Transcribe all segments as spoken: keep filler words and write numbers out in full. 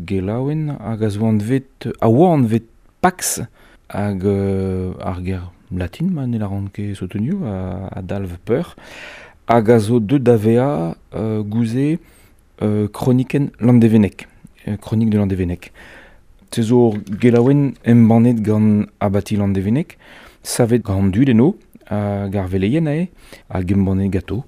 gelaouenn hag a zo anvet, a oa anvet Pax hag euh, ar ger latin ma ne la ran ket sotonioù a, a dalv peur hag a zo deut da vezañ euh, gouze euh, kronikenn Landevennec, euh, chronique de Landevennec. Se zo ur gelaouenn embannet gant abati Landevennec, savet gant an dud eno, hag ar veleien ae, hag embannet gato.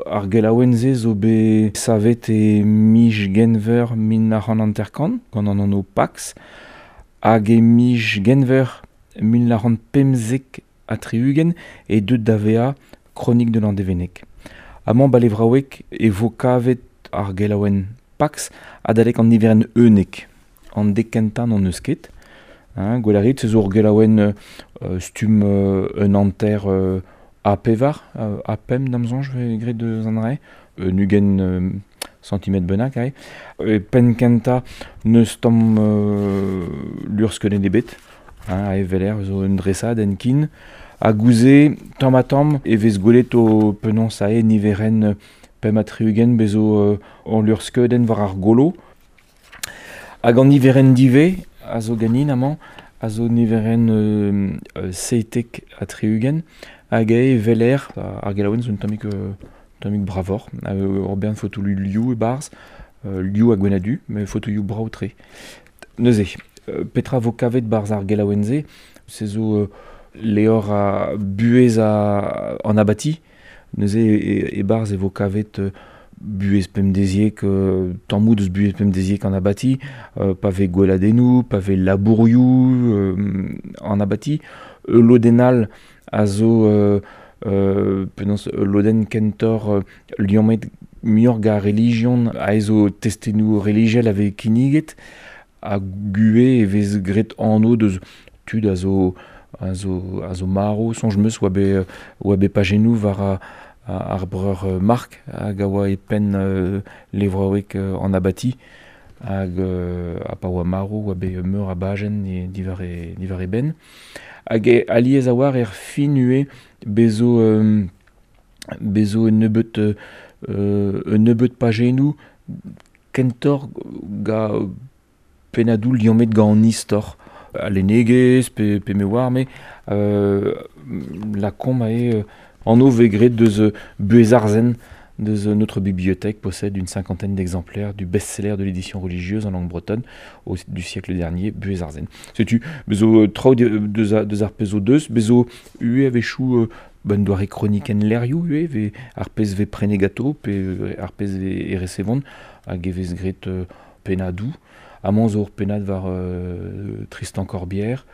Ar gelaouenn se zo bet savet e miz Genver mil nav c'hant hanter-kant, gant an anv Pax, hag e miz Genver mil nav c'hant pemzek ha tri-ugent e deut da vezañ Chronique de Landevennec. Amañ balevraoueg e vo kavet ar gelaouenn Pax adalek an niverenn unnek. An dek kentañ n'hon eus ket. Hein, gwell a rit, se zo ur gelaouenn euh, stumm euh, un hanter euh, A pevar, euh, A pemp da'm soñj vez graet deus an dra-se, un ugent euh, centimetr bennak ae. E penn kentañ n'eus tamm euh, luc'hskeudenn ebet, hein, ae veler zo un dresad en kin. Ha gouze, tamm ha tamm, e vez gwelet o penaos ae niverenn pemp ha tri-ugent bezo euh, ur luc'hskeudenn war ar golo. Hag an niverenn divez a zo ganin amañ, a zo niverenn euh, euh, seitek ha tri-ugent, hag eo veler ar gelaouenn zo un tammig, euh, tammig bravoc'h, euh, ur bern fotoioù liv e-barzh, euh, liv ha gwenn-ha-du, met fotoioù brav-tre. Neuze, euh, petra vo kavet barzh ar gelaouenn-se, se zo euh, levr a buhez a, an abati, neuze e, e-barzh e vo kavet euh, buhez pemdeziek, euh, tammoù deus buhez pemdeziek an abati, euh, pa vez gweladennoù, pa vez labourioù euh, an abati, ul lodenn all a zo euh, euh, penaos ul lodenn kentoc'h euh, liammet muioc'h gant ar relijion a zo testennoù relijiel a vez kinniget, ha gue e vez graet anv deus tud a zo a zo, a zo marv, soñj 'm eus oa bet, oa bet pajennoù war a, ar breur euh, Marc hag a oa e penn euh, levraoueg euh, an abati hag euh, ha pa oa marv oa bet meur a bajenn e, diwar e, diwar e benn. Hag e alies a oar er fin ue bezo, euh, bezo un nebeut, euh, un nebeut pajennoù kentoc'h ga pennadoù liammet gant an istor. A lennegezh pe, pe me oar, me euh, la kom ae euh, anv vez graet deus euh, buhez arzen deus euh, notre bibliothèque possède une cinquantaine d'exemplaires du best-seller de l'édition religieuse en langue bretonne au, du siècle dernier, Buhez Arzen. Setu, bezo euh, traoù de, deus, a, deus ar pezh o deus, bezo ue a-wechoù euh, ben doare kronikenn lerioù ue, ve ar pezh vez prenet gato, pe euh, ar pezh vez e resevont, hag e vez graet euh, pennadoù. Amañ zo ur pennad war euh, Tristan Corbière,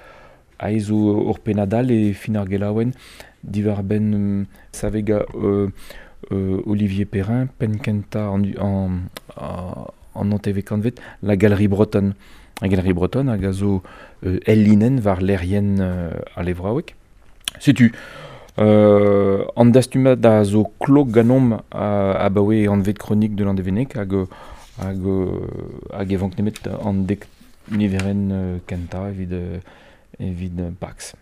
ae zo ur pennad all e fin ar gelaouenn diwar benn euh, savega euh, euh, Olivier Perrin, penn kentañ an, an, an, an anteve kantvet, la Galerie Bretonne. La Galerie Bretonne hag a zo euh, el linenn war lerien euh, a levraoueg. Setu, euh, an dastumad a zo klok ganomp a, abaoe anvet Chronique de Landevennec hag, hag, hag e vank nemet an dek niverenn euh, kentañ evit, euh, evit Pax.